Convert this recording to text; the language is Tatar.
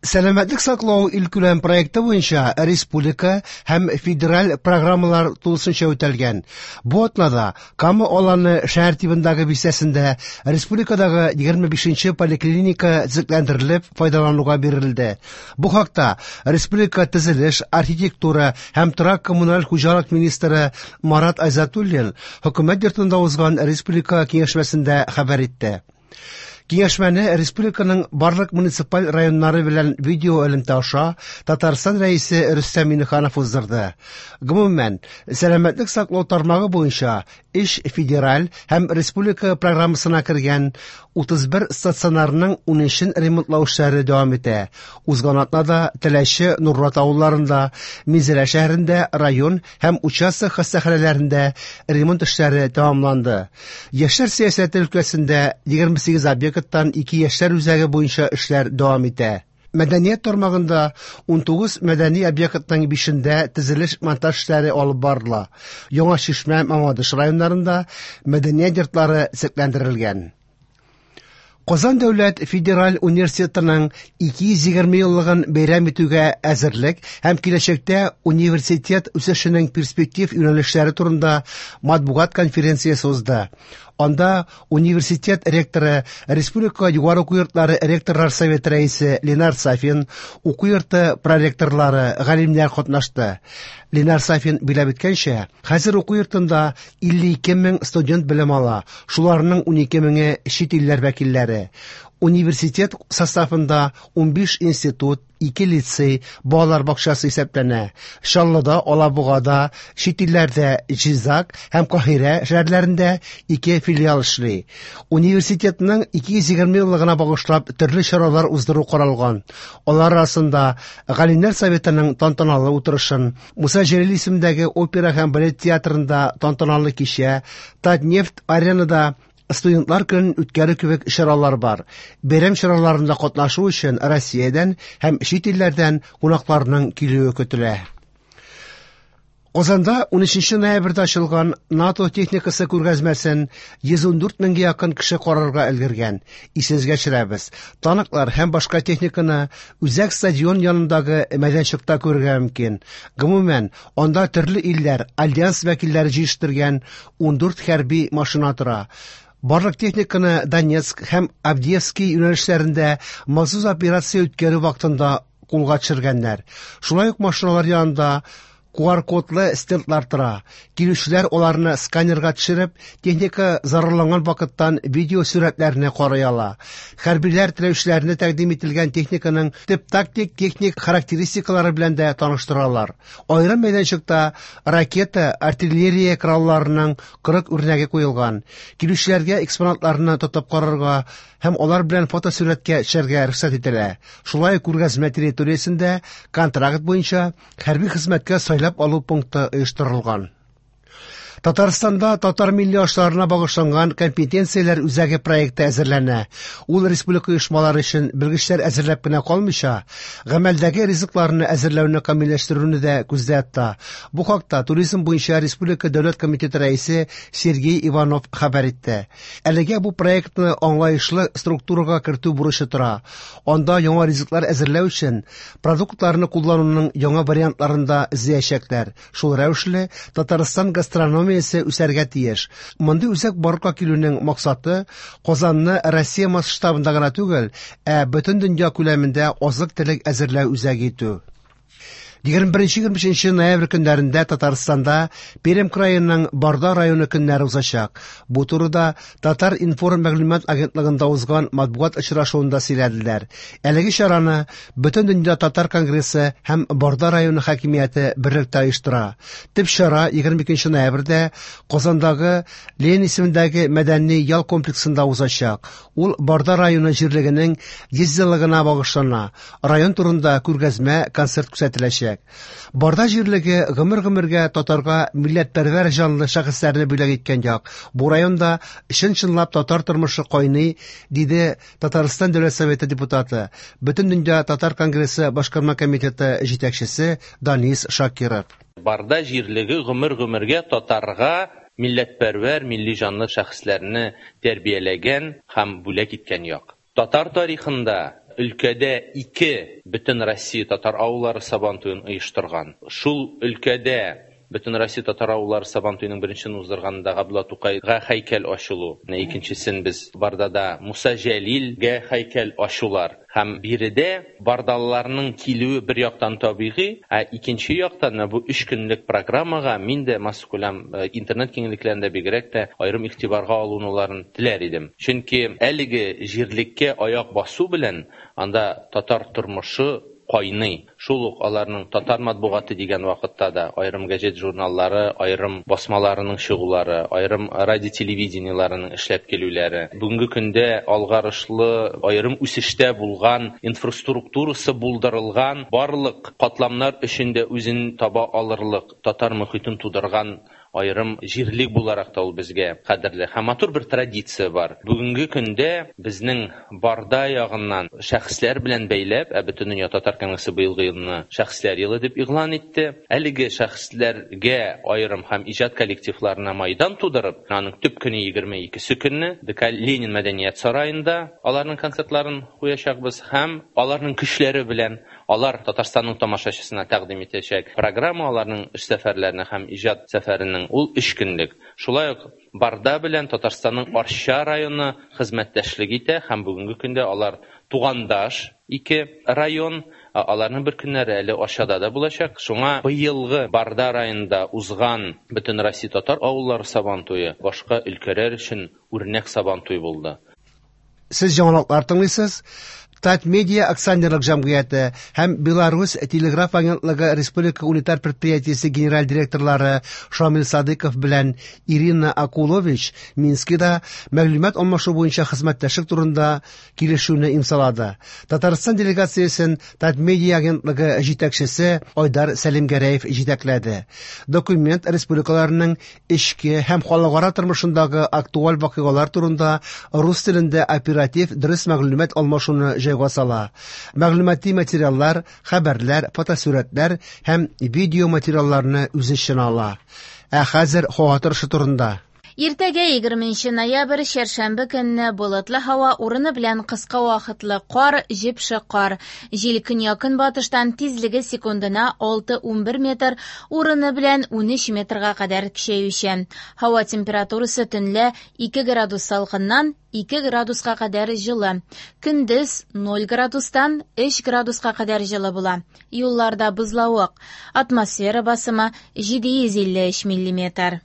Сәламәтлек саклау илкүләм проекты буенча республика һәм федераль программалар тулысынча үтәлгән. Бу атнада Кама Аланы шәһәр тибындагы бистәсендә республикадагы 25 нче поликлиника төзекләндерелеп файдалануга бирелде. Бу хакта республика төзелеш, архитектура һәм торак-коммуналь хуҗалык министры Марат Айзатуллин хөкүмәт йортында узган республика киңәшмәсендә хәбәр итте. Киңәшмәне республиканың барлык муниципаль районнары белән видеоэлемтә аша Татарстан Рәисе Рөстәм Миңнеханов уздырды. Гомумән, сәламәтлек саклау тармагы буенча өч федераль һәм республика программасына кергән 31 стационарның 13-ен ремонтлау эшләре дәвам итә. Узган атнада Теләче, Нурлат авылларында, Минзәлә шәһәрендә район һәм участок хастаханәләрендә ремонт эшләре тәмамланды. Яшьләр сәясәте өлкәсендә 28 объекттан ике яшьләр үзәге буенча эшләр дәвам итә. Мәдәният тармагында 19 мәдәни объектның бишендә төзелеш-монтаж эшләре алып барыла. Яңа Чишмә, Мамадыш районнарында мәдәният йортлары төзекләндерелгән. Казан дәүләт федераль университетының 220 еллыгын бәйрәм итүгә әзерлек һәм киләчәктә университет үсешенең перспектив юнәлешләре турында матбугат конференциясе узды. Анда университет ректоры, республика югары уку йортлары ректорлар советы рәисе Ленар Сафин, уку йорты проректорлары, галимнәр катнашты. Ленар Сафин биләп үткәнчә, хәзер уку йортында 52 мең студент белем ала, шуларның 12 меңе чит илләр вәкилләре. Университет составында 15 институт, 2 лицей, балалар бакчасы исәпләнә. Чаллыда, Алабугада, чит илләрдә Җизак һәм Каһирә шәһәрләрендә ике филиал эшли. Университетның 220 еллыгына багышлап төрле чаралар уздыру каралган. Алар арасында Галимнәр советының тантаналы утырышын, Муса Җәлил исемендәге опера һәм балет театрында тантаналы кичә, Татнефть аренада студентлар көнен үткәрү кебек чаралар бар. Бәйрәм чараларында катнашу өчен Россиядән һәм чит илләрдән кунакларның килүе көтелә. Казанда 13 ноябрьдә ачылган НАТО техникасы күргәзмәсен 114 меңгә якын кеше карарга өлгергән. Исегезгә төшерәбез, танклар һәм башка техниканы Үзәк стадион янындагы мәйданчыкта күрергә мөмкин. Гомумән, анда төрле илләр, альянс вәкилләре җыештырган 14 хәрби машина тора. Барлык техниканы Донецк һәм Авдеевский юнәлешләрендә махсус операция үткәрү вакытында кулга төшергәннәр. Шулай ук машиналар янында QR-кодлы стендлар тора. Килүчеләр аларны сканерга төшереп, техника зарарланган вакыттан видео сурәтләрне карый ала. Хәрбиләр теләүчеләрне тәкъдим ителгән техниканың төп тактик техник характеристикалары белән дә таныштыралар. Аерым мәйданчыкта ракета, артиллерия коралларының 40 үрнәге куелган. Килүчеләргә экспонатларны тотып карарга һәм алар белән фотосурәткә төшәргә рөхсәт ителә. Шулай ук күргәзмә территориясендә контракт буенча хәрби хезмәткә сайлап алу пункты оештырылган. Татарстанда татар милли ашларына багышланган компетенцияләр үзәге проекты әзерләнә. Ул республика оешмалары өчен белгечләр әзерләп кенә калмыйча, гамәлдәге ризыкларны әзерләүне камилләштерүне дә күздә тота. Бу хакта туризм буенча республика дәүләт комитеты рәисе Сергей Иванов хәбәр итте. Әлегә бу проектны аңлаешлы структурага кертү бурычы тора. Анда яңа ризыклар әзерләү өчен продуктларны куллануның яңа вариантларын да эзләячәкләр. Шул рәвешле Татарстан гастрономиясе үсәргә тиеш. Мондый үзәк барлыкка килүнең максаты Казанны Россия масштабында гына түгел, ә бөтен дөнья күләмендә азык-төлек әзерләү үзәге итү. 21-23 ноябрь көннәрендә Татарстанда Пермь краеның Барда районы көннәре узачак. Бу турыда Татар-информ мәгълүмат агентлыгында узган матбугат очрашуында сөйләделәр. Әлеге чараны Бөтендөнья татар конгрессы һәм Барда районы хакимияте берлектә оештыра. Төп чара 22 ноябрьдә Казандагы Ленин исемендәге мәдәни ял комплексында узачак. Ул Барда районы җирлегенең 100 еллыгына багышлана. Район турында күргәзмә концерт күрсәтеләчәк. Барда җирлеге гомер-гомергә татарга милләтпәрвәр җанлы шәхесләрне бүләк иткән як. Бу районда чын-чынлап татар тормышы кайный, диде Татарстан Дәүләт Советы депутаты, Бөтендөнья татар конгрессы башкарма комитеты җитәкчесе Данис Шакиров. Барда җирлеге гомер-гомергә татарга милләтпәрвәр, милли җанлы шәхесләрне тәрбияләгән һәм бүләк иткән як. Татар тарихында өлкәдә ике Бөтенроссия татар авыллары Сабантуен оештырган. Шул өлкәдә Бөтенроссия татар авыллары Сабантуеның беренчесен уздырганда Габдулла Тукайга һәйкәл ачылу, икенчесен без Бардада Муса Җәлилгә һәйкәл ачулар. Һәм биредә бардалыларның килүе бер яктан табигый, ә икенче яктан менә бу өч көнлек программага мин дә массакүләм интернет киңлекләрендә бигрәк тә аерым игътибарга алынуларын теләр идем. Чөнки әлеге җирлеккә аяк басу белән анда татар тормышы кайный. Шул ук аларның татар матбугаты дигән вакытта да аерым газет-журналлары, аерым басмаларының чыгулары, аерым радио-телевидениеларының эшләп килүләре, бүгенге көндә алгарышлы, аерым үсештә булган инфраструктурасы булдырылган, барлык катламнар өчен дә үзен таба алырлык татар мохитен тудырган аерым җирлек буларак та ул безгә кадерле. Һәм матур бер традиция бар. Бүгенге көндә безнең Барда ягыннан шәхесләр белән бәйләп, ә Бөтендөнья татар конгрессы быелгы елны Шәхесләр елы дип игълан итте. Әлеге шәхесләргә аерым һәм иҗат коллективларына майдан тудырып, аның төп көне 22 көнне ДК Ленин мәдәният сараенда аларның концертларын куячакбыз һәм аларның көчләре белән алар Татарстанның тамашачысына тәкъдим итәчәк программа аларның эш сәфәрләренә һәм иҗат сәфәренең ул өч көнлек. Шулай ук Барда белән Татарстанның Арча районы хезмәттәшлек итә һәм бүгенге көндә алар тугандаш ике район, аларның бер көннәре әле Арчада да булачак. Шуңа быелгы Барда районында узган Бөтенроссия татар авыллары Сабантуе башка өлкәләр өчен үрнәк Сабантуй булды. Сез яңалыклар тыңлыйсыз. Татмедиа акционерлык җәмгыяте һәм Беларусь телеграф агентлыгы республика унитар предприятиесе генераль директорлары Шамил Садыков белән Ирина Акулович Минскида мәгълүмат алмашу буенча хезмәттәшлек турында килешүне имзалады. Татарстан делегациясен Татмедиа агентлыгы җитәкчесе Айдар Сәлимгәрәев җитәкләде. Документ республикаларның эчке һәм халыкара тормышындагы актуаль вакыйгалар турында рус телендә оператив дөрес мәгълүмат алмашуны җайга сала. Мәгълүмати материаллар, хәбәрләр, фотосурәтләр һәм видео материалларны үз эченә ала. Ә хәзер һава торышы турында. Иртәгә 20 ноябрь чәршәмбе көнне болытлы һава урыны белән кыска вакытлы кар, җепшек кар. Җил көньяк-көнбатыштан тизлеге секундына 6-11 метр, урыны белән 13 метрга кадәр көчәючән. Һава температурасы төнлә 2 градус салкыннан 2 градуска кадәр җылы. Көндез 0 градустан 3 градуска кадәр җылы була. Юлларда бозлавык. Атмосфера басымы 753 миллиметр.